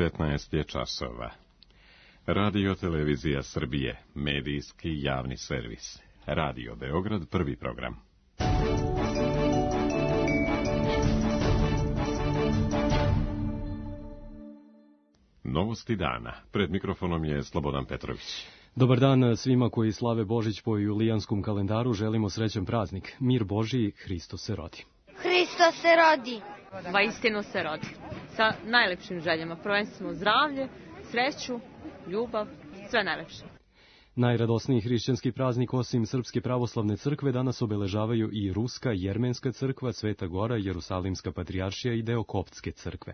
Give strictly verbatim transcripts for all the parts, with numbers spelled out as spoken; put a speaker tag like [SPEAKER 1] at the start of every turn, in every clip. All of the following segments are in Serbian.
[SPEAKER 1] petnaest je časova. Radio Televizija Srbije, medijski javni servis. Radio Beograd, prvi program. Novosti dana. Pred mikrofonom je Slobodan Petrović.
[SPEAKER 2] Dobar dan svima koji slave Božić po julijanskom kalendaru. Želimo srećan praznik. Mir Božiji, Hristos se rodi.
[SPEAKER 3] Hristos se rodi.
[SPEAKER 4] Vaistinu se rodi. Sa najlepšim željama. Prvenstveno zdravlje, sreću, ljubav, sve najlepše.
[SPEAKER 2] Najradosniji hrišćanski praznik osim Srpske pravoslavne crkve danas obeležavaju i Ruska Jermenska crkva, Sveta Gora, Jerusalimska patrijaršija i deo Koptske crkve.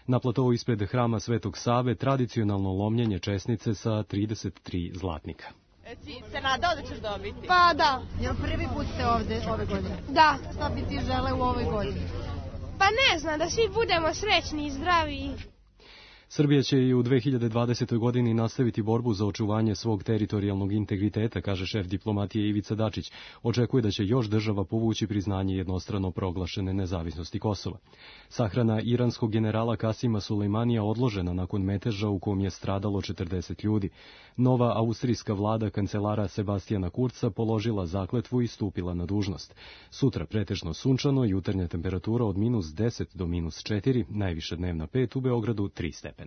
[SPEAKER 2] Na platovu ispred hrama Svetog Save tradicionalno lomljenje česnice sa trideset tri zlatnika.
[SPEAKER 4] Eci, se nadao da ćeš dobiti?
[SPEAKER 3] Pa da.
[SPEAKER 5] Jel prvi put ste ovde ove godine?
[SPEAKER 3] Da.
[SPEAKER 5] Šta bi ti žele u ovoj godini?
[SPEAKER 3] Pa ne znam, da svi budemo srećni i zdravi.
[SPEAKER 2] Srbija će i u dve hiljade dvadesetoj. godini nastaviti borbu za očuvanje svog teritorijalnog integriteta, kaže šef diplomatije Ivica Dačić. Očekuje da će još država povući priznanje jednostrano proglašene nezavisnosti Kosova. Sahrana iranskog generala Kasima Sulejmanija odložena nakon meteža u kom je stradalo četrdeset ljudi. Nova austrijska vlada kancelara Sebastijana Kurca položila zakletvu i stupila na dužnost. Sutra pretežno sunčano, jutarnja temperatura od minus deset do minus četiri, najviša dnevna pet, u Beogradu tri stepena.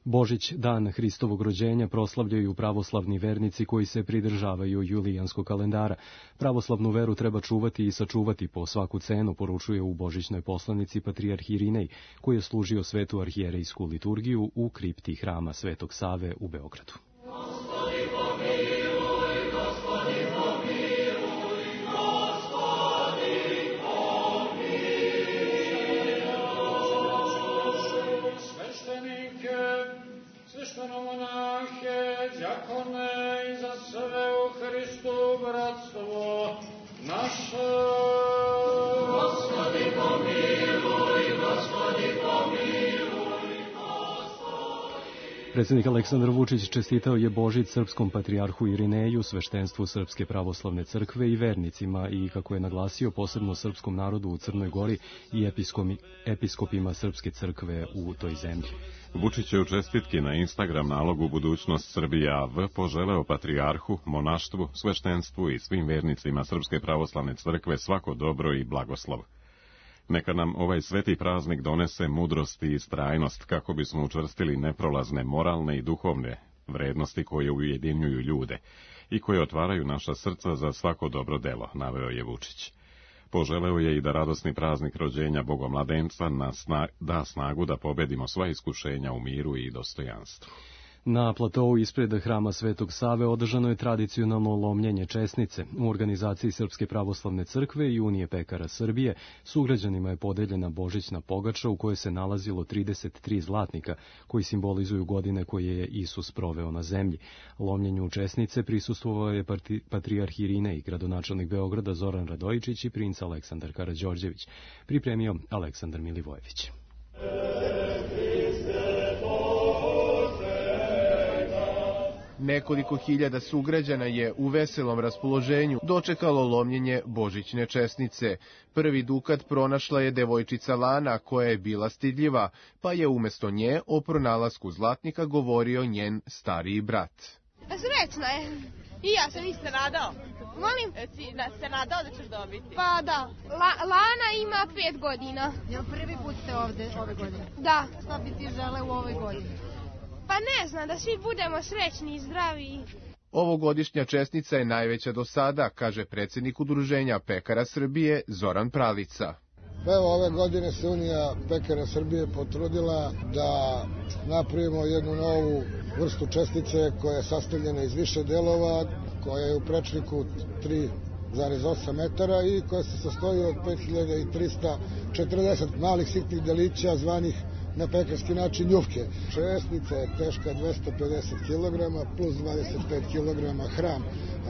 [SPEAKER 2] Božić, dan Hristovog rođenja, proslavljaju pravoslavni vernici koji se pridržavaju julijanskog kalendara. Pravoslavnu veru treba čuvati i sačuvati po svaku cenu, poručuje u božićnoj poslanici patrijarh Irinej, koji je služio svetu arhijerejsku liturgiju u kripti hrama Svetog Save u Beogradu. Predsjednik Aleksandar Vučić čestitao je Božić srpskom patrijarhu Irineju, sveštenstvu Srpske pravoslavne crkve i vernicima i, kako je naglasio, posebno srpskom narodu u Crnoj Gori i episkopi, episkopima Srpske crkve u toj zemlji.
[SPEAKER 1] Vučić je u čestitki na Instagram nalogu Budućnost Srbije A V poželeo patrijarhu, monaštvu, sveštenstvu i svim vernicima Srpske pravoslavne crkve svako dobro i blagoslov. Neka nam ovaj sveti praznik donese mudrost i istrajnost kako bismo učvrstili neprolazne moralne i duhovne vrednosti koje ujedinjuju ljude i koje otvaraju naša srca za svako dobro delo, naveo je Vučić. Poželeo je i da radosni praznik rođenja Bogomladenca nas da snagu da pobedimo sva iskušenja u miru i dostojanstvu.
[SPEAKER 2] Na platovu ispred hrama Svetog Save održano je tradicionalno lomljenje česnice. U organizaciji Srpske pravoslavne crkve i Unije pekara Srbije sugrađanima je podeljena božićna pogača u kojoj se nalazilo trideset tri zlatnika, koji simbolizuju godine koje je Isus proveo na zemlji. Lomljenju česnice prisustvovao je patrijarh Irinej, gradonačelnik Beograda Zoran Radojičić i princ Aleksandar Karađorđević. Pripremio Aleksandar Milivojević.
[SPEAKER 6] Nekoliko hiljada sugrađana je u veselom raspoloženju dočekalo lomljenje božićne česnice. Prvi dukat pronašla je devojčica Lana, koja je bila stidljiva, pa je umjesto nje o pronalasku zlatnika govorio njen stariji brat.
[SPEAKER 3] Srećna je. I ja sam isto nadao. Molim?
[SPEAKER 4] Eci, se nadao da ćeš dobiti?
[SPEAKER 3] Pa da. La, Lana ima pet godina.
[SPEAKER 5] Jel prvi put ste ovde ove godine?
[SPEAKER 3] Da.
[SPEAKER 5] Šta bi ti žele u ovoj godini?
[SPEAKER 3] Pa ne znam, da svi budemo srećni i zdravi.
[SPEAKER 6] Ovogodišnja česnica je najveća do sada, kaže predsjednik Udruženja pekara Srbije Zoran Pralica.
[SPEAKER 7] Evo, ove godine se Unija pekara Srbije potrudila da napravimo jednu novu vrstu čestice koja je sastavljena iz više delova, koja je u prečniku tri zarez osam metara i koja se sastoji od pet hiljada trista četrdeset malih sitnih delića zvanih na pekarski način ljufke. Česnica je teška dvesta pedeset kilograma plus dvadeset pet kilograma hram.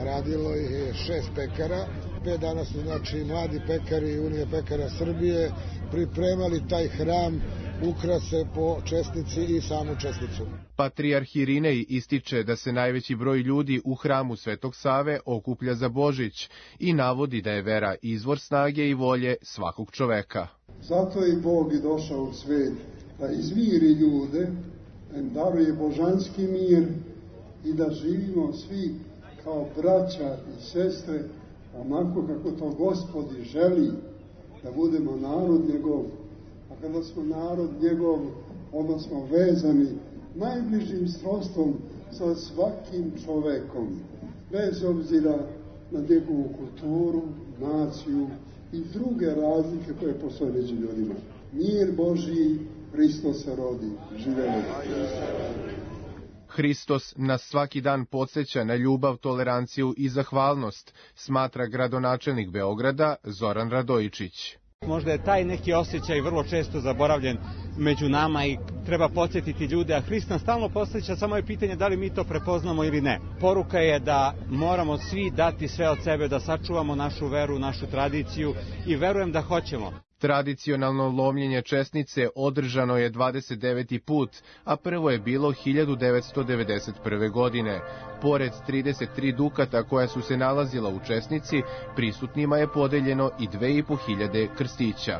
[SPEAKER 7] Radilo je šest pekara. Pet dana su, znači, mladi pekari Unije pekara Srbije pripremali taj hram ukrase po čestnici i samu čestnicu.
[SPEAKER 6] Patrijarh Irinej ističe da se najveći broj ljudi u hramu Svetog Save okuplja za Božić i navodi da je vera izvor snage i volje svakog čoveka.
[SPEAKER 8] Zato je Bog i došao u svet, da izmiri ljude, da im daruje božanski mir i da živimo svi kao braća i sestre, onako kako to Gospodi želi, da budemo narod njegov. A kada smo narod njegov, onda smo vezani najbližim srodstvom sa svakim čovekom, bez obzira na njegovu kulturu, naciju i druge razlike koje postoje među ljudima. Mir Božiji, Hristos se rodi, živelo.
[SPEAKER 6] Hristos nas svaki dan podsjeća na ljubav, toleranciju i zahvalnost, smatra gradonačelnik Beograda Zoran Radojičić.
[SPEAKER 9] Možda je taj neki osjećaj vrlo često zaboravljen među nama i treba podsjetiti ljude, a Hrist nas stalno podsjeća, samo je pitanje da li mi to prepoznamo ili ne. Poruka je da moramo svi dati sve od sebe, da sačuvamo našu veru, našu tradiciju i verujem da hoćemo.
[SPEAKER 6] Tradicionalno lomljenje česnice održano je dvadeset deveti put, a prvo je bilo hiljadu devetsto devedeset prve. godine. Pored trideset tri dukata koja su se nalazila u česnici, prisutnima je podeljeno i dve i po hiljade krstića.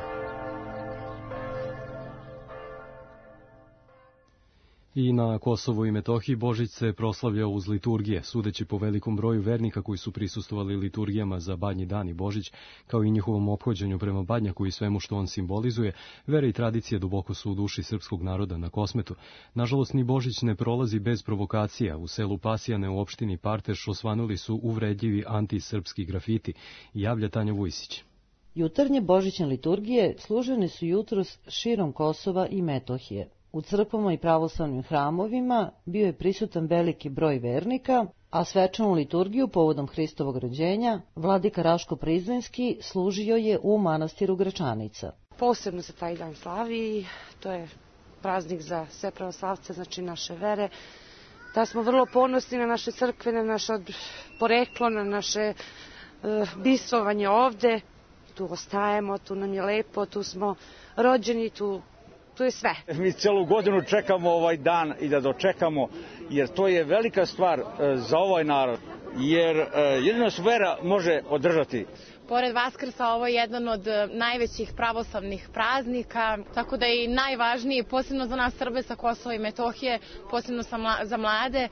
[SPEAKER 2] I na Kosovu i Metohiji Božić se proslavljao uz liturgije, sudeći po velikom broju vernika koji su prisustvovali liturgijama za Badnji dan i Božić, kao i njihovom ophođenju prema Badnjaku i svemu što on simbolizuje. Vera i tradicije duboko su u duši srpskog naroda na Kosmetu. Nažalost, ni Božić ne prolazi bez provokacija. U selu Pasjane u opštini Parteš osvanuli su uvredljivi antisrpski grafiti, javlja Tanja Vujsić.
[SPEAKER 10] Jutarnje božićne liturgije služene su jutros širom Kosova i Metohije. U crkvama i pravoslavnim hramovima bio je prisutan veliki broj vernika, a svečanu liturgiju povodom Hristovog rođenja vladika Raško Prizrenski služio je u manastiru Gračanica.
[SPEAKER 11] Posebno se taj dan slavi, to je praznik za sve pravoslavce, znači naše vere, da smo vrlo ponosni na naše crkve, na naše poreklo, na naše uh, bistvovanje ovde. Tu ostajemo, tu nam je lepo, tu smo rođeni, tu To je sve.
[SPEAKER 9] Mi celu godinu čekamo ovaj dan i da dočekamo, jer to je velika stvar za ovaj narod, jer jedino se vera može održati.
[SPEAKER 12] Pored Vaskrsa ovo je jedan od najvećih pravoslavnih praznika, tako da je i najvažniji, posebno za nas Srbe sa Kosova i Metohije, posebno za mlade,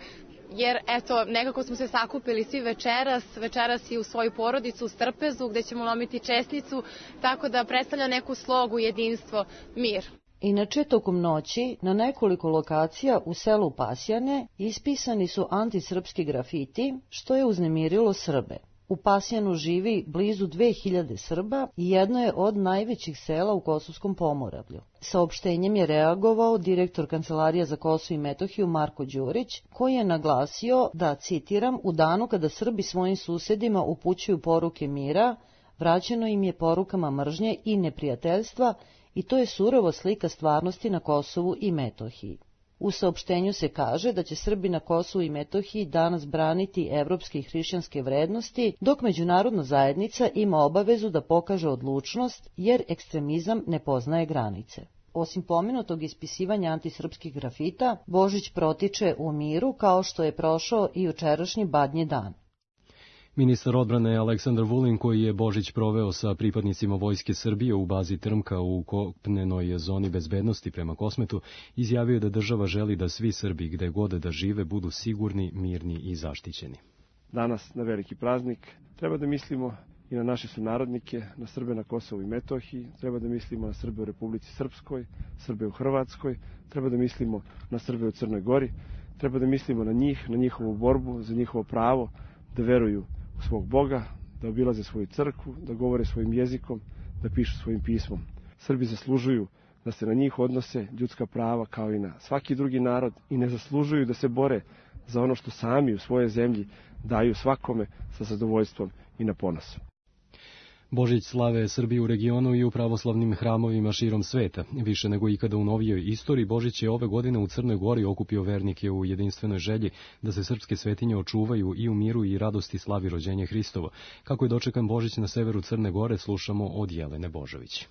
[SPEAKER 12] jer eto, nekako smo se sakupili svi večeras, večeras i u svoju porodicu u Strpezu, gde ćemo lomiti česnicu, tako da predstavlja neku slogu, jedinstvo, mir.
[SPEAKER 10] Inače, tokom noći, na nekoliko lokacija u selu Pasjane ispisani su antisrpski grafiti, što je uznemirilo Srbe. U Pasjanu živi blizu dve hiljade Srba i jedno je od najvećih sela u Kosovskom pomoravlju. Saopštenjem je reagovao direktor Kancelarija za Kosovo i Metohiju Marko Đurić, koji je naglasio da, citiram, u danu kada Srbi svojim susedima upućuju poruke mira, vraćeno im je porukama mržnje i neprijateljstva, i to je surova slika stvarnosti na Kosovu i Metohiji. U saopštenju se kaže da će Srbi na Kosovu i Metohiji danas braniti evropske i hrišćanske vrednosti, dok međunarodna zajednica ima obavezu da pokaže odlučnost, jer ekstremizam ne poznaje granice. Osim pomenutog ispisivanja antisrpskih grafita, Božić protiče u miru kao što je prošao i jučerašnji Badnji dan.
[SPEAKER 2] Ministar odbrane Aleksandar Vulin, koji je Božić proveo sa pripadnicima Vojske Srbije u bazi Trmka u kopnenoj zoni bezbednosti prema Kosmetu, izjavio je da država želi da svi Srbi gde god da žive budu sigurni, mirni i zaštićeni.
[SPEAKER 13] Danas na veliki praznik treba da mislimo i na naše sunarodnike, na Srbe na Kosovu i Metohiji, treba da mislimo na Srbe u Republici Srpskoj, Srbe u Hrvatskoj, treba da mislimo na Srbe u Crnoj Gori, treba da mislimo na njih, na njihovu borbu, za njihovo pravo da veruju u svog Boga, da obilaze svoju crkvu, da govore svojim jezikom, da pišu svojim pismom. Srbi zaslužuju da se na njih odnose ljudska prava kao i na svaki drugi narod i ne zaslužuju da se bore za ono što sami u svojoj zemlji daju svakome sa zadovoljstvom i na ponos.
[SPEAKER 2] Božić slave Srbije u regionu i u pravoslavnim hramovima širom sveta. Više nego ikada u novijoj istoriji, Božić je ove godine u Crnoj Gori okupio vernike u jedinstvenoj želji da se srpske svetinje očuvaju i u miru i radosti slavi rođenje Hristovo. Kako je dočekan Božić na severu Crne Gore, slušamo od Jelene Božović.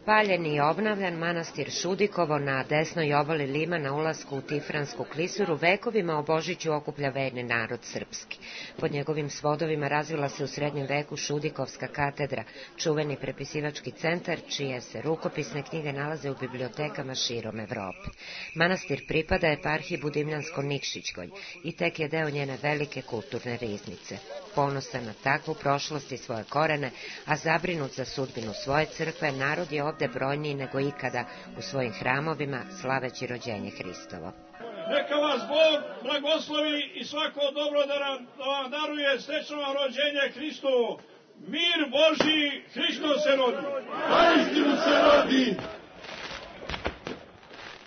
[SPEAKER 14] Spaljeni i obnavljan manastir Šudikovo na desnoj obali Lima na ulasku u Tifransku klisuru vekovima o Božiću okuplja verni narod srpski. Pod njegovim svodovima razvila se u srednjem veku Šudikovska katedra, čuveni prepisivački centar, čije se rukopisne knjige nalaze u bibliotekama širom Evrope. Manastir pripada eparhiji Budimljansko-Nikšićkoj i tek je deo njene velike kulturne riznice. Ponosan na takvu prošlost i svoje korene, a zabrinut za sudbinu svoje crkve, narod je ovde brojniji nego ikada u svojim hramovima slaveći rođenje Hristovo.
[SPEAKER 15] Neka vas Bog blagoslovi i svako dobro da, nam, da vam daruje srećno rođenje Hristovo. Mir Božji, Hristo se rodi. Istinu se rodi.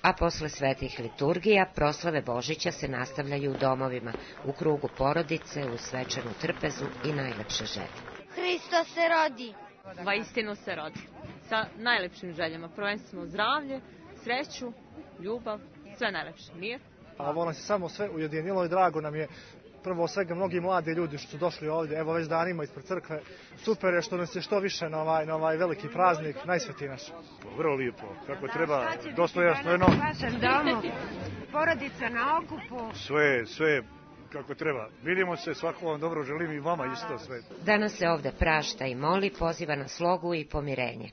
[SPEAKER 14] A posle svetih liturgija, proslave Božića se nastavljaju u domovima, u krugu porodice, u svečanu trpezu i najlepše želje.
[SPEAKER 16] Hristo se rodi.
[SPEAKER 4] Vaistinu se rodi. Sa najlepšim željama, prvenstveno zdravlje, sreću, ljubav, sve najlepše, mir.
[SPEAKER 17] A ovo nas je samo sve ujedinilo i drago nam je. Prvo svega mnogi mladi ljudi što su došli ovdje, evo već danima ispred crkve. Super je što nas je što više na ovaj, na ovaj veliki praznik, najsvetiji naš.
[SPEAKER 18] Vrlo lijepo, kako treba, dostojno.
[SPEAKER 19] Vašem domu, porodica na okupu.
[SPEAKER 18] Sve, sve kako treba. Vidimo se, svako vam dobro želim i vama isto sve.
[SPEAKER 14] Danas se ovde prašta i moli, poziva na slogu i pomirenje.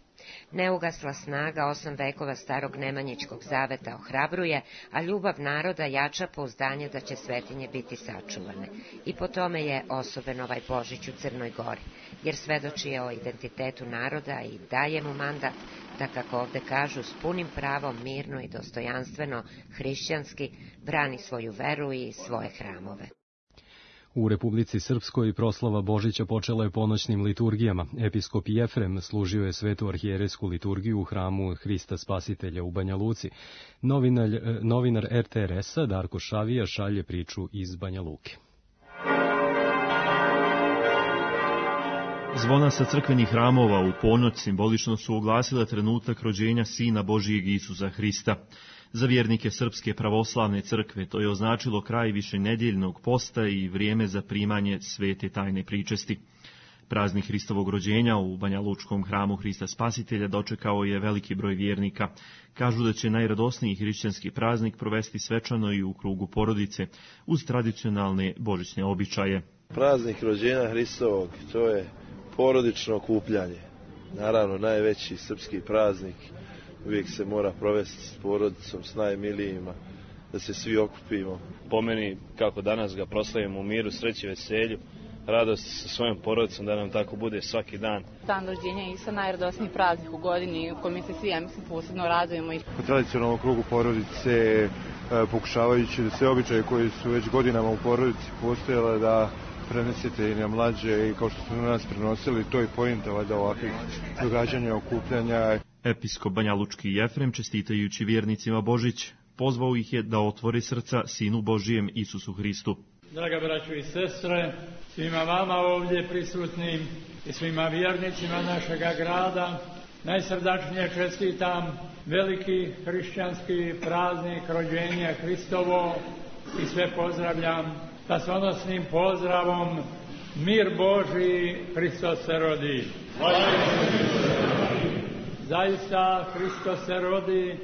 [SPEAKER 14] Neugasla snaga osam vekova starog Nemanjićkog zaveta ohrabruje, a ljubav naroda jača pouzdanje da će svetinje biti sačuvane. I po tome je osoben ovaj Božić u Crnoj Gori, jer svedoči je o identitetu naroda i daje mu mandat da, kako ovde kažu, s punim pravom, mirno i dostojanstveno, hrišćanski, brani svoju veru i svoje hramove.
[SPEAKER 2] U Republici Srpskoj proslava Božića počela je ponoćnim liturgijama. Episkop Jefrem služio je svetu arhijerejsku liturgiju u hramu Hrista Spasitelja u Banja Luci. Novinar, novinar er te er es-a Darko Šavija šalje priču iz Banja Luke.
[SPEAKER 20] Zvona sa crkvenih hramova u ponoć simbolično su oglasila trenutak rođenja Sina Božijeg Isusa Hrista. Za vjernike Srpske pravoslavne crkve to je označilo kraj višenedjeljnog posta i vrijeme za primanje svete tajne pričesti. Praznik Hristovog rođenja u Banja Lučkom hramu Hrista Spasitelja dočekao je veliki broj vjernika. Kažu da će najradosniji hrišćanski praznik provesti svečano i u krugu porodice, uz tradicionalne božićne običaje.
[SPEAKER 21] Praznik rođenja Hristovog, to je porodično okupljanje. Naravno, najveći srpski praznik. Uvijek se mora provesti s porodicom, s najmilijima, da se svi okupimo.
[SPEAKER 22] Po meni, kako danas ga proslavimo u miru, sreći, veselju, radost sa svojom porodicom, da nam tako bude svaki dan.
[SPEAKER 23] Dan rođenja je isto najradosniji praznik u godini, u kojem se svi, ja mislim, posebno radujemo.
[SPEAKER 24] U tradicionalnom krugu porodice, pokušavajući da sve običaje koji su već godinama u porodici postojale, da prenesete i na mlađe, i kao što smo nas prenosili, to je poenta valjda ovakvih događanja, okupljanja.
[SPEAKER 20] Episkop Banjalučki Jefrem, čestitajući vjernicima Božić, pozvao ih je da otvore srca Sinu Božijem Isusu Hristu.
[SPEAKER 25] Draga braćo i sestre, svima vama ovdje prisutnim i svima vjernicima našega grada, najsrdačnije čestitam veliki hrišćanski praznik rođenja Hristovo i sve pozdravljam spasonosnim pozdravom: mir Božji, Hristos se rodi. Zaista Hristos se rodi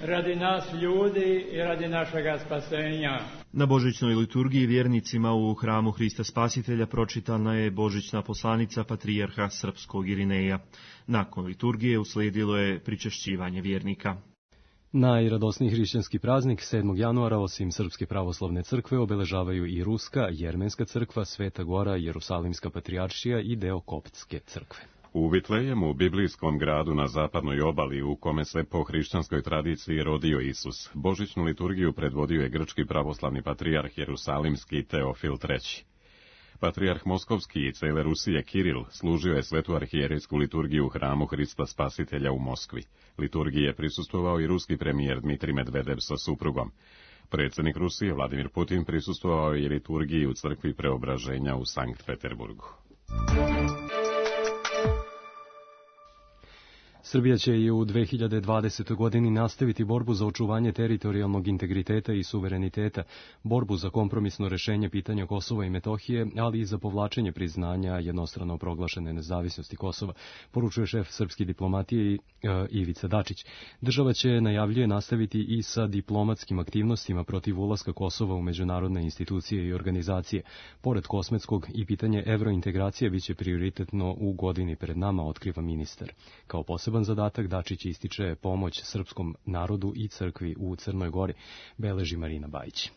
[SPEAKER 25] radi nas ljudi i radi našega spasenja.
[SPEAKER 20] Na božićnoj liturgiji vjernicima u hramu Hrista Spasitelja pročitana je božićna poslanica patrijarha Srpskog Irineja. Nakon liturgije uslijedilo je pričešćivanje vjernika.
[SPEAKER 2] Najradosniji hrišćanski praznik sedmog januara osim Srpske pravoslavne crkve obeležavaju i Ruska, Jermenska crkva, Sveta Gora, Jerusalimska patrijaršija i deo Koptske crkve.
[SPEAKER 1] U Vitlejemu, biblijskom gradu na zapadnoj obali, u kome se po hrišćanskoj tradiciji rodio Isus, božićnu liturgiju predvodio je grčki pravoslavni patrijarh Jerusalimski Teofil treći. Patrijarh Moskovski i cele Rusije Kiril služio je svetu arhijerejsku liturgiju u hramu Hrista Spasitelja u Moskvi. Liturgiji je prisustvovao i ruski premijer Dmitrij Medvedev sa suprugom. Predsjednik Rusije Vladimir Putin prisustvovao je liturgiji u crkvi Preobraženja u Sankt Peterburgu.
[SPEAKER 2] Srbija će i u dve hiljade dvadesetoj. godini nastaviti borbu za očuvanje teritorijalnog integriteta i suvereniteta, borbu za kompromisno rešenje pitanja Kosova i Metohije, ali i za povlačenje priznanja jednostrano proglašene nezavisnosti Kosova, poručuje šef srpske diplomatije Ivica Dačić. Država će, najavljuje, nastaviti i sa diplomatskim aktivnostima protiv ulaska Kosova u međunarodne institucije i organizacije. Pored kosmetskog, i pitanje evrointegracije biće prioritetno u godini pred nama, otkriva ministar. Kao poseban zadatak Dačić ističe pomoć srpskom narodu i crkvi u Crnoj Gori, beleži Marina Bajić.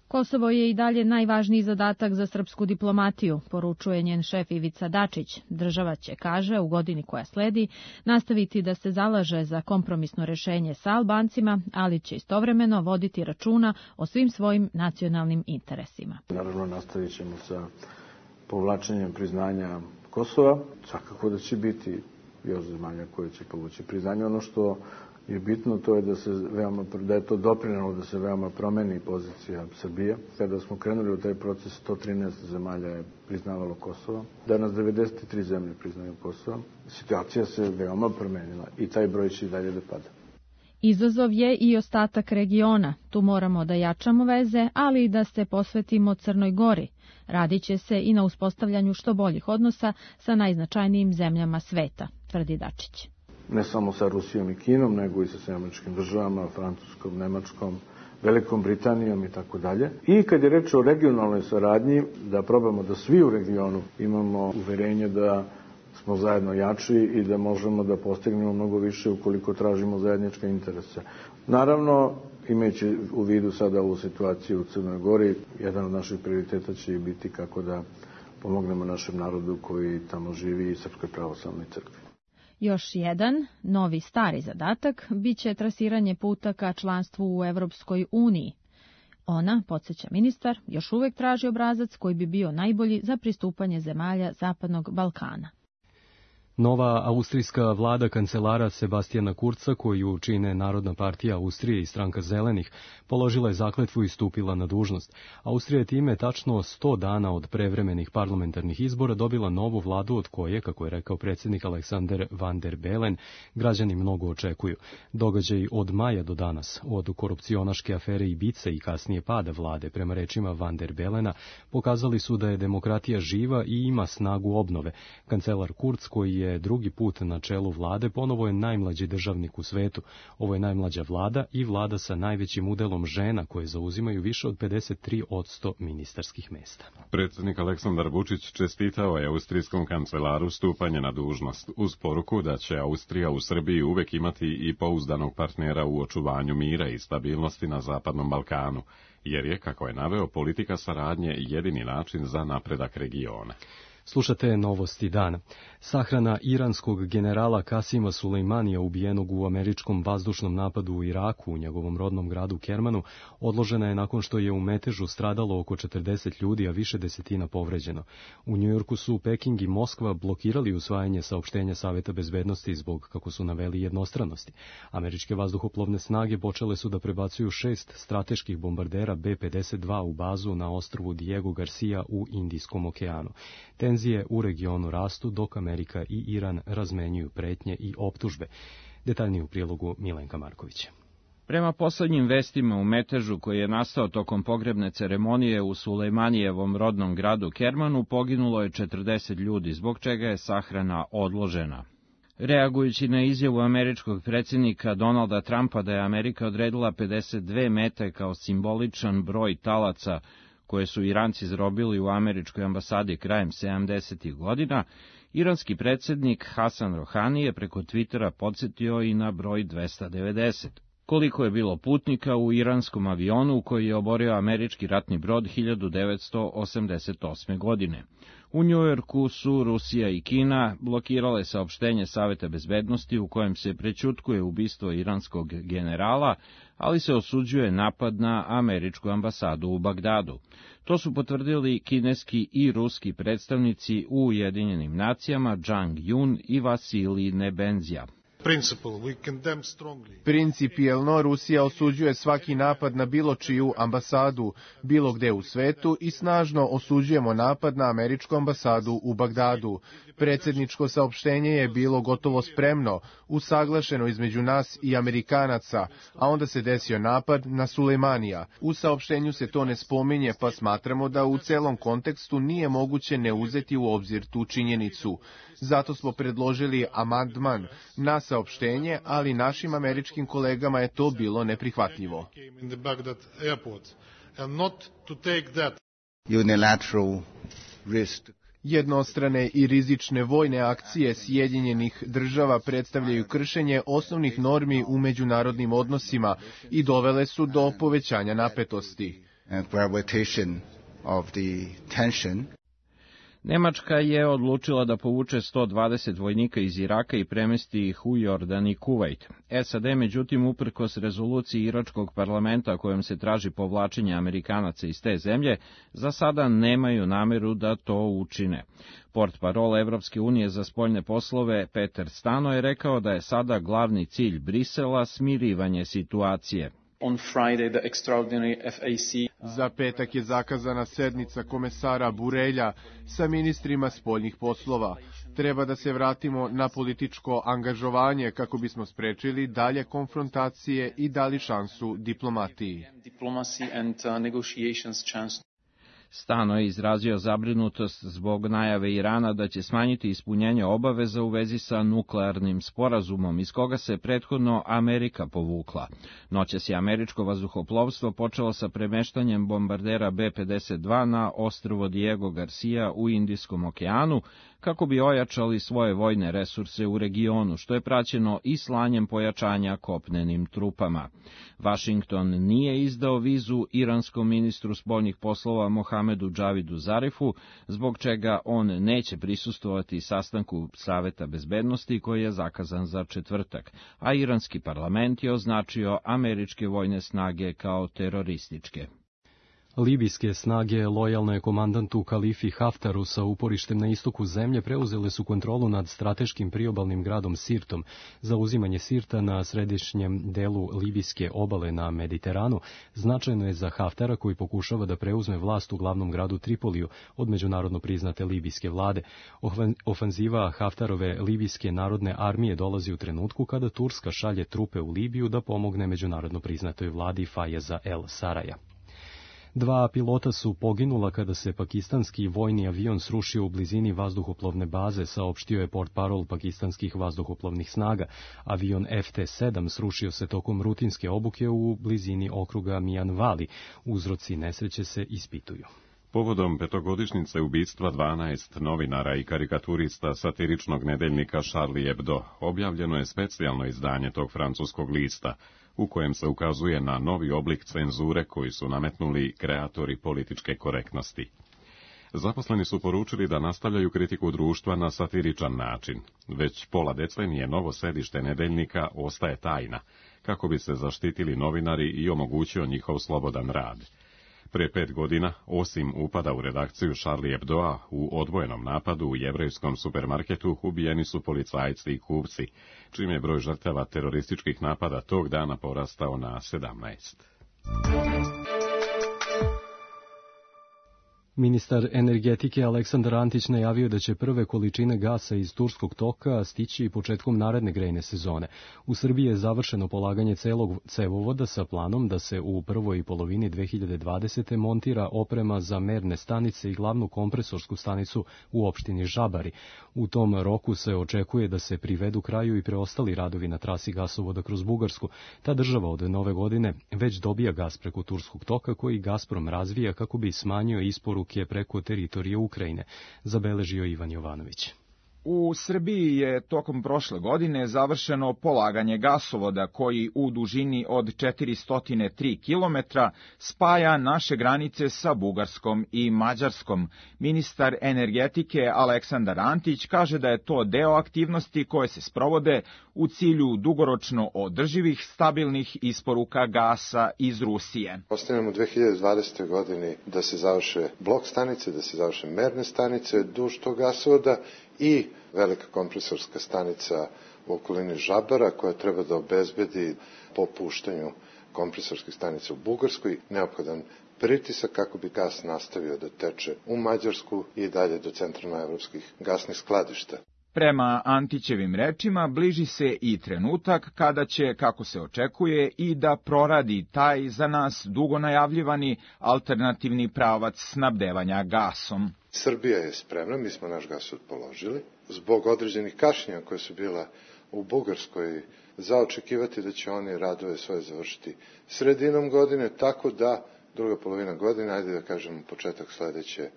[SPEAKER 3] Kosovo je i dalje najvažniji zadatak za srpsku diplomatiju, poručuje njen šef Ivica Dačić. Država će, kaže, u godini koja sledi nastaviti da se zalaže za kompromisno rešenje sa Albancima, ali će istovremeno voditi računa o svim svojim nacionalnim interesima.
[SPEAKER 5] Naravno, nastavit ćemo sa povlačenjem priznanja Kosova. Svakako da će biti još zemalja koje će povući priznanje. Ono što je bitno, to je da se veoma, da je to doprinelo da se veoma promeni pozicija Srbije. Kada smo krenuli u taj proces, sto trinaest zemalja je priznavalo Kosovo. Danas devedeset tri zemlje priznaju Kosovo. Situacija se veoma promenila i taj broj će i dalje da pada.
[SPEAKER 3] Izazov je i ostatak regiona. Tu moramo da jačamo veze, ali i da se posvetimo Crnoj Gori. Radit će se i na uspostavljanju što boljih odnosa sa najznačajnijim zemljama sveta, tvrdi Dačić.
[SPEAKER 5] Ne samo sa Rusijom i Kinom, nego i sa Sjedinjenim Američkim Državama, Francuskom, Nemačkom, Velikom Britanijom i tako dalje. I kad je reč o regionalnoj saradnji, da probamo da svi u regionu imamo uverenje da smo zajedno jači i da možemo da postignemo mnogo više ukoliko tražimo zajedničke interese. Naravno, imajući u vidu sada ovu situaciju u Crnoj Gori, jedan od naših prioriteta će i biti kako da pomognemo našem narodu koji tamo živi i Srpskoj pravoslavnoj crkvi.
[SPEAKER 3] Još jedan, novi stari zadatak, biće trasiranje puta ka članstvu u Evropskoj uniji. Ona, podsjeća ministar, još uvek traži obrazac koji bi bio najbolji za pristupanje zemalja Zapadnog Balkana.
[SPEAKER 2] Nova austrijska vlada kancelara Sebastijana Kurca, koju čine Narodna partija Austrije i stranka Zelenih, položila je zakletvu i stupila na dužnost. Austrija je time tačno sto dana od prevremenih parlamentarnih izbora dobila novu vladu od koje, kako je rekao predsjednik Alexander Van der Bellen, građani mnogo očekuju. Događaj od maja do danas, od korupcionaške afere Ibiza i kasnije pada vlade, prema rečima Van der Bellena, pokazali su da je demokratija živa i ima snagu obnove. Kancelar Kurz, koji je drugi put na čelu vlade, ponovo je najmlađi državnik u svetu. Ovo je najmlađa vlada i vlada sa najvećim udelom žena koje zauzimaju više od pedeset tri posto ministarskih mesta.
[SPEAKER 1] Predsjednik Aleksandar Vučić čestitao je austrijskom kancelaru stupanje na dužnost uz poruku da će Austrija u Srbiji uvek imati i pouzdanog partnera u očuvanju mira i stabilnosti na Zapadnom Balkanu, jer je, kako je naveo, politika saradnje jedini način za napredak regiona.
[SPEAKER 2] Slušate novosti dana. Sahrana iranskog generala Kasima Sulejmanija, ubijenog u američkom vazdušnom napadu u Iraku, u njegovom rodnom gradu Kermanu, odložena je nakon što je u metežu stradalo oko četrdeset ljudi, a više desetina povređeno. U Njujorku su Peking i Moskva blokirali usvajanje saopštenja Saveta bezbednosti zbog, kako su naveli, jednostranosti. Američke vazduhoplovne snage počele su da prebacuju šest strateških bombardera B pedeset dva u bazu na ostrvu Diego Garcia u Indijskom okeanu. Tenzije u regionu rastu, dok Amerika i Iran razmenjuju pretnje i optužbe. Detaljnije u prilogu Milenka Markovića.
[SPEAKER 6] Prema poslednjim vestima, u metežu koji je nastao tokom pogrebne ceremonije u Sulejmanijevom rodnom gradu Kermanu poginulo je četrdeset ljudi, zbog čega je sahrana odložena. Reagujući na izjavu američkog predsjednika Donalda Trumpa da je Amerika odredila pedeset dve mete kao simboličan broj talaca koje su Iranci zarobili u američkoj ambasadi krajem sedamdesetih godina, iranski predsjednik Hasan Rohani je preko Twittera podsjetio i na broj dvesta devedeset. Koliko je bilo putnika u iranskom avionu koji je oborio američki ratni brod hiljadu devetsto osamdeset osme. godine. U Njujorku su Rusija i Kina blokirale saopštenje Saveta bezbednosti u kojem se prećutkuje ubistvo iranskog generala, ali se osuđuje napad na američku ambasadu u Bagdadu. To su potvrdili kineski i ruski predstavnici u Ujedinjenim nacijama Zhang Yun i Vasilij Nebenzija.
[SPEAKER 7] Principijelno Rusija osuđuje svaki napad na bilo čiju ambasadu, bilo gde u svetu i snažno osuđujemo napad na američku ambasadu u Bagdadu. Predsjedničko saopštenje je bilo gotovo spremno, usaglašeno između nas i Amerikanaca, a onda se desio napad na Sulejmanija. U saopštenju se to ne spominje, pa smatramo da u celom kontekstu nije moguće ne uzeti u obzir tu činjenicu. Zato smo predložili amandman na saopštenje, ali našim američkim kolegama je to bilo neprihvatljivo. Jednostrane i rizične vojne akcije Sjedinjenih država predstavljaju kršenje osnovnih normi u međunarodnim odnosima i dovele su do povećanja napetosti.
[SPEAKER 6] Nemačka je odlučila da povuče sto dvadeset vojnika iz Iraka i premesti ih u Jordan i Kuvajt. S A D, međutim, uprkos rezoluciji iračkog parlamenta kojom se traži povlačenje Amerikanaca iz te zemlje, za sada nemaju nameru da to učine. Portparol Evropske unije za spoljne poslove Peter Stano je rekao da je sada glavni cilj Brisela smirivanje situacije.
[SPEAKER 8] On Friday, the extraordinary F A C.
[SPEAKER 7] Za petak je zakazana sednica komesara Burelja sa ministrima spoljnih poslova. Treba da se vratimo na političko angažovanje kako bismo sprečili dalje konfrontacije i dali šansu diplomatiji.
[SPEAKER 6] Stano je izrazio zabrinutost zbog najave Irana da će smanjiti ispunjenje obaveza u vezi sa nuklearnim sporazumom, iz koga se prethodno Amerika povukla. Noćas je američko vazduhoplovstvo počelo sa premeštanjem bombardera B pedeset dva na ostrvo Diego Garcia u Indijskom okeanu, kako bi ojačali svoje vojne resurse u regionu, što je praćeno i slanjem pojačanja kopnenim trupama. Vašington nije izdao vizu iranskom ministru spoljnih poslova Mohamedu Džavidu Zarifu, zbog čega on neće prisustvovati sastanku Saveta bezbednosti koji je zakazan za četvrtak, a iranski parlament je označio američke vojne snage kao terorističke.
[SPEAKER 2] Libijske snage, lojalne komandantu Kalifi Haftaru sa uporištem na istoku zemlje, preuzele su kontrolu nad strateškim priobalnim gradom Sirtom. Zauzimanje Sirta na središnjem delu libijske obale na Mediteranu značajno je za Haftara, koji pokušava da preuzme vlast u glavnom gradu Tripoliju od međunarodno priznate libijske vlade. Ofanziva Haftarove libijske narodne armije dolazi u trenutku kada Turska šalje trupe u Libiju da pomogne međunarodno priznatoj vladi Fajeza El Saraja. Dva pilota su poginula kada se pakistanski vojni avion srušio u blizini vazduhoplovne baze, saopštio je portparol pakistanskih vazduhoplovnih snaga. Avion F T sedam srušio se tokom rutinske obuke u blizini okruga Mianvali. Uzroci nesreće se ispituju.
[SPEAKER 1] Povodom petogodišnjice ubistva dvanaest novinara i karikaturista satiričnog nedeljnika Charlie Hebdo objavljeno je specijalno izdanje tog francuskog lista, u kojem se ukazuje na novi oblik cenzure koji su nametnuli kreatori političke korektnosti. Zaposleni su poručili da nastavljaju kritiku društva na satiričan način. Već pola decenije novo sedište nedeljnika ostaje tajna, kako bi se zaštitili novinari i omogućio njihov slobodan rad. Pre pet godina, osim upada u redakciju Charlie Hebdoa, u odvojenom napadu u jevrejskom supermarketu ubijeni su policajci i kupci, čime je broj žrtava terorističkih napada tog dana porastao na sedamnaest.
[SPEAKER 2] Ministar energetike Aleksandar Antić najavio da će prve količine gasa iz Turskog toka stići početkom naredne grejne sezone. U Srbiji je završeno polaganje celog cevovoda sa planom da se u prvoj polovini dve hiljade dvadesete. montira oprema za merne stanice i glavnu kompresorsku stanicu u opštini Žabari. U tom roku se očekuje da se privedu kraju i preostali radovi na trasi gasovoda kroz Bugarsku. Ta država od nove godine već dobija gas preko Turskog toka, koji Gazprom razvija kako bi smanjio isporuku je preko teritorije Ukrajine, zabeležio Ivan Jovanović.
[SPEAKER 9] U Srbiji je tokom prošle godine završeno polaganje gasovoda koji u dužini od četiristo tri kilometra spaja naše granice sa Bugarskom i Mađarskom. Ministar energetike Aleksandar Antić kaže da je to deo aktivnosti koje se sprovode u cilju dugoročno održivih stabilnih isporuka gasa iz Rusije.
[SPEAKER 11] Ostavljamo u dve hiljade dvadesete. godini da se završe blok stanice, da se završe merne stanice duž tog gasovoda i velika kompresorska stanica u okolini Žabara koja treba da obezbedi po puštanju kompresorskih stanica u Bugarskoj neophodan pritisak kako bi gas nastavio da teče u Mađarsku i dalje do centralnoevropskih gasnih skladišta.
[SPEAKER 9] Prema Antićevim rečima, bliži se i trenutak kada će, kako se očekuje, i da proradi taj za nas dugo najavljivani alternativni pravac snabdevanja gasom.
[SPEAKER 11] Srbija je spremna, mi smo naš gasovod položili. Zbog određenih kašnjenja koje su bila u Bugarskoj, za očekivati da će oni radove svoje završiti sredinom godine, tako da druga polovina godine, ajde da kažemo početak sledeće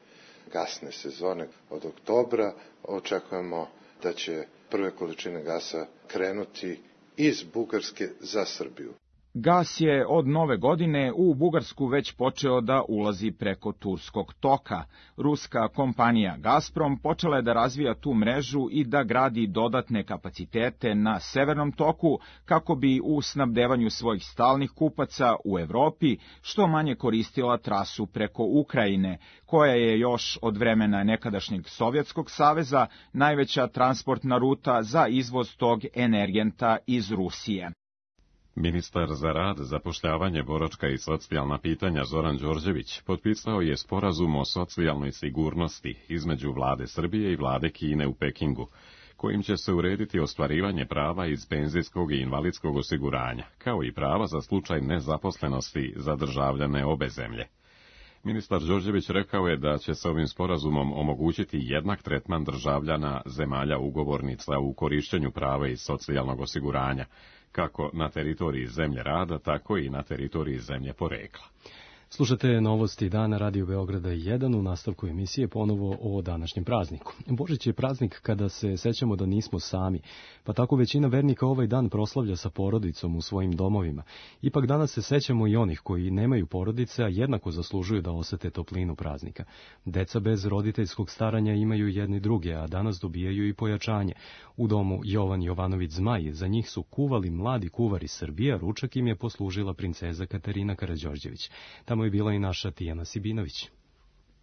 [SPEAKER 11] gasne sezone od oktobra, očekujemo da će prve količine gasa krenuti iz Bugarske za Srbiju.
[SPEAKER 9] Gas je od nove godine u Bugarsku već počeo da ulazi preko Turskog toka. Ruska kompanija Gazprom počela je da razvija tu mrežu i da gradi dodatne kapacitete na severnom toku kako bi u snabdevanju svojih stalnih kupaca u Evropi što manje koristila trasu preko Ukrajine, koja je još od vremena nekadašnjeg Sovjetskog saveza najveća transportna ruta za izvoz tog energenta iz Rusije.
[SPEAKER 1] Ministar za rad, zapošljavanje, boračka i socijalna pitanja Zoran Đorđević potpisao je sporazum o socijalnoj sigurnosti između vlade Srbije i vlade Kine u Pekingu, kojim će se urediti ostvarivanje prava iz penzijskog i invalidskog osiguranja, kao i prava za slučaj nezaposlenosti za državljane obe zemlje. Ministar Đorđević rekao je da će se ovim sporazumom omogućiti jednak tretman državljana zemalja ugovornica u korišćenju prava iz socijalnog osiguranja, kako na teritoriji zemlje rada, tako i na teritoriji zemlje porekla.
[SPEAKER 2] Slušate novosti dana Radio Beograda jedan u nastavku emisije ponovo o današnjem prazniku. Božić je praznik kada se sećamo da nismo sami, pa tako većina vernika ovaj dan proslavlja sa porodicom u svojim domovima. Ipak danas se sećamo i onih koji nemaju porodice, a jednako zaslužuju da osete toplinu praznika. Deca bez roditeljskog staranja imaju jedni druge, a danas dobijaju i pojačanje. U domu Jovan Jovanović Zmaj za njih su kuvali mladi kuvari Srbije, ručak im je poslužila princeza Katarina Karađorđević. Tamo je bila i naša Tijana Sibinović.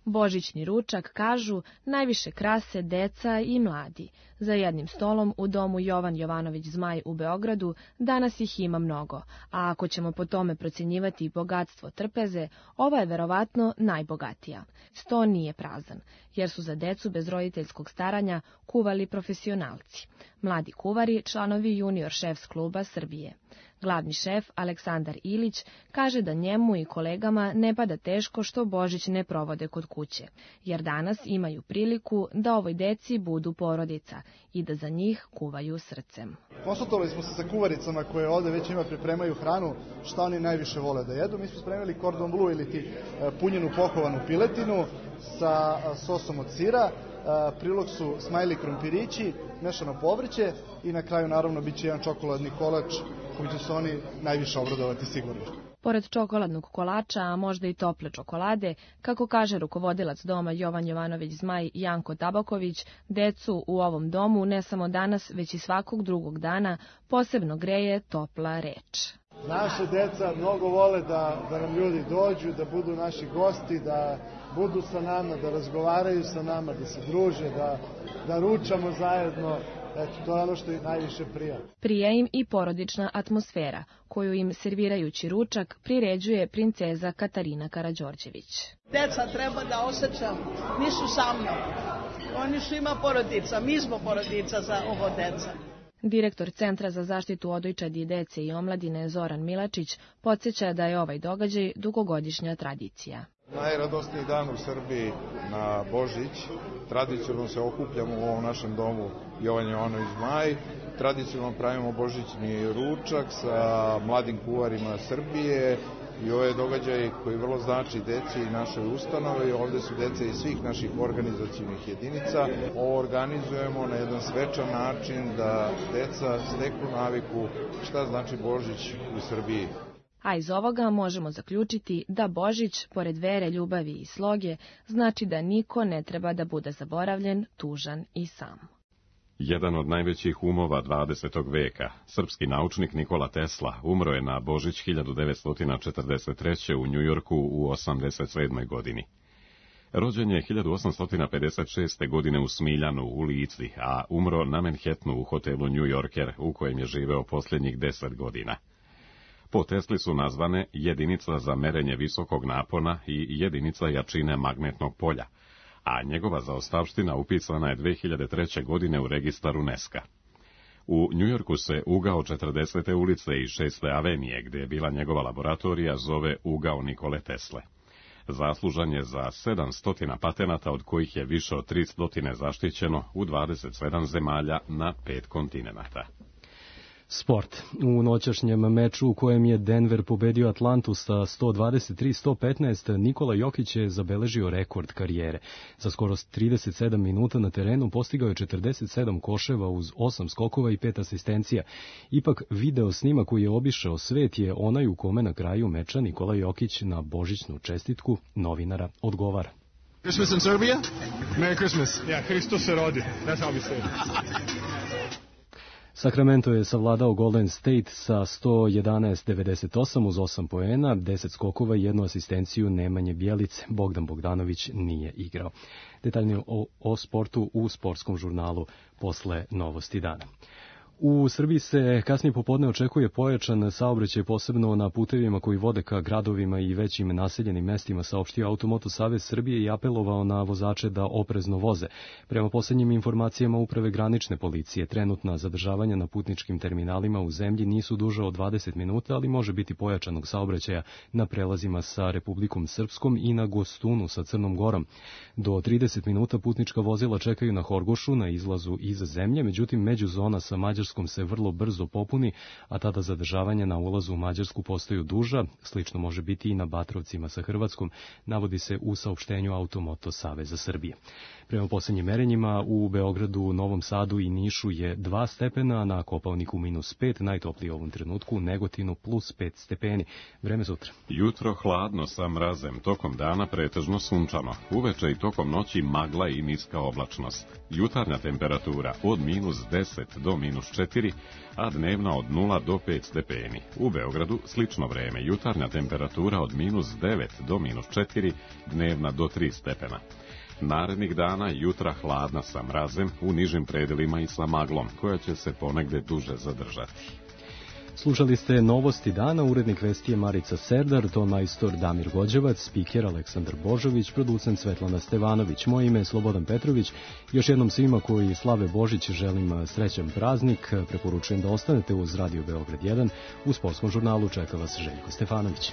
[SPEAKER 3] Božićni ručak, kažu, najviše krase deca i mladi. Za jednim stolom u domu Jovan Jovanović Zmaj u Beogradu danas ih ima mnogo, a ako ćemo po tome procjenjivati bogatstvo trpeze, ova je verovatno najbogatija. Sto nije prazan, jer su za decu bez roditeljskog staranja kuvali profesionalci. Mladi kuvari, članovi junior šefs kluba Srbije. Glavni šef, Aleksandar Ilić, kaže da njemu i kolegama ne pada teško što Božić ne provode kod kuće, jer danas imaju priliku da ovoj deci budu porodica i da za njih kuvaju srcem.
[SPEAKER 17] Konsultovali smo se sa kuvaricama koje ovde već ima pripremaju hranu, šta oni najviše vole da jedu. Mi smo spremili cordon bleu ili ti punjenu pohovanu piletinu sa sosom od sira, prilog su smajli krompirići, mešano povrće i na kraju naravno bit će jedan čokoladni kolač koji će se oni najviše obradovati sigurno.
[SPEAKER 3] Pored čokoladnog kolača, a možda i tople čokolade, kako kaže rukovodilac doma Jovan Jovanović Zmaj Janko Tabaković, decu u ovom domu ne samo danas, već i svakog drugog dana posebno greje topla reč.
[SPEAKER 17] Naše deca mnogo vole da, da nam ljudi dođu, da budu naši gosti, da budu sa nama, da razgovaraju sa nama, da se druže, da, da ručamo zajedno. Eto, to je ono što je najviše prija.
[SPEAKER 3] Prije im i porodična atmosfera, koju im servirajući ručak priređuje princeza Katarina Karađorđević.
[SPEAKER 10] Deca treba da osjećam, nisu sa mnom. Oni su ima porodica, mi smo porodica za ovo deca.
[SPEAKER 3] Direktor Centra za zaštitu odojčadi dece i omladine Zoran Milačić podsjeća da je ovaj događaj dugogodišnja tradicija.
[SPEAKER 12] Najradosniji dan u Srbiji na Božić. Tradicionalno se okupljamo u ovom našem domu Jovan Jovanović Zmaj. Tradicionalno pravimo božićni ručak sa mladim kuvarima Srbije i ovo je događaj koji vrlo znači deci i našoj ustanovi. Ovde su deca iz svih naših organizacijnih jedinica. Ovo organizujemo na jedan svečan način da deca steknu naviku šta znači Božić u Srbiji.
[SPEAKER 3] A iz ovoga možemo zaključiti da Božić, pored vere, ljubavi i sloge, znači da niko ne treba da bude zaboravljen, tužan i sam.
[SPEAKER 1] Jedan od najvećih umova dvadesetog veka, srpski naučnik Nikola Tesla, umro je na Božić hiljadu devetsto četrdeset treće. u Njujorku u osamdeset sedmoj godini. Rođen je hiljadu osamsto pedeset šeste. godine u Smiljanu u Lici, a umro na Manhattanu u hotelu New Yorker, u kojem je živeo posljednjih deset godina. Po Tesli su nazvane jedinica za merenje visokog napona i jedinica jačine magnetnog polja, a njegova zaostavština upisana je dve hiljade treće. godine u registar UNESCO. U Njujorku se ugao četrdesete ulice i šeste avenije, gdje je bila njegova laboratorija, zove ugao Nikole Tesle. Zaslužan je za sedamsto patenata, od kojih je više od tristo zaštićeno u dvadeset sedam zemalja na pet kontinenata.
[SPEAKER 2] Sport. U noćašnjem meču u kojem je Denver pobedio Atlantu sa sto dvadeset tri sto petnaest, Nikola Jokić je zabeležio rekord karijere. Za skoro trideset sedam minuta na terenu postigao je četrdeset sedam koševa uz osam skokova i pet asistencija. Ipak video snima koji je obišao svet je onaj u kome na kraju meča Nikola Jokić na božićnu čestitku novinara odgovara.
[SPEAKER 4] Christmas in Serbia? Merry Christmas. Yeah, Hristos se rodi. That's how we say it.
[SPEAKER 2] Sacramento je savladao Golden State sa sto jedanaest devedeset osam uz osam poena, deset skokova i jednu asistenciju Nemanje Bjelice. Bogdan Bogdanović nije igrao. Detaljnije o, o sportu u sportskom žurnalu posle Novosti dana. U Srbiji se kasnije popodne očekuje pojačan saobraćaj, posebno na putevima koji vode ka gradovima i većim naseljenim mestima, saopštio Automoto Savez Srbije i apelovao na vozače da oprezno voze. Prema posljednjim informacijama Uprave granične policije, trenutna zadržavanja na putničkim terminalima u zemlji nisu duža od dvadeset minuta, ali može biti pojačanog saobraćaja na prelazima sa Republikom Srpskom i na Gostunu sa Crnom Gorom. Do trideset minuta putnička vozila čekaju na Horgošu na izlazu iz zemlje, međutim međuzona sa Mađarskom se vrlo brzo popuni, a tada zadržavanja na ulazu u Mađarsku postaju duža, slično može biti i na Batrovcima sa Hrvatskom, navodi se u saopštenju Automoto Saveza Srbije. Prema posljednjim merenjima u Beogradu, Novom Sadu i Nišu je dva stepena, na Kopaoniku minus pet, najtoplije u ovom trenutku, u Negotinu plus pet stepeni. Vreme sutra.
[SPEAKER 1] Jutro hladno sa mrazem, tokom dana pretežno sunčano, uveče i tokom noći magla i niska oblačnost. Jutarnja temperatura od minus deset do minus četiri, a dnevna od nula do pet stepeni. U Beogradu slično vreme, jutarnja temperatura od minus devet do minus četiri, dnevna do tri stepena. Narednih dana jutra hladna sa mrazem, u nižim predelima i sa maglom, koja će se ponegde duže zadržati.
[SPEAKER 2] Slušali ste Novosti dana, urednik vesti je Marica Serdar, ton majstor Damir Gođevac, spiker Aleksandar Božović, producent Svetlana Stevanović. Moje ime je Slobodan Petrović. Još jednom svima koji slave Božić želim srećan praznik. Preporučujem da ostanete uz Radio Beograd jedan. U sportskom žurnalu čeka vas Željko Stefanović.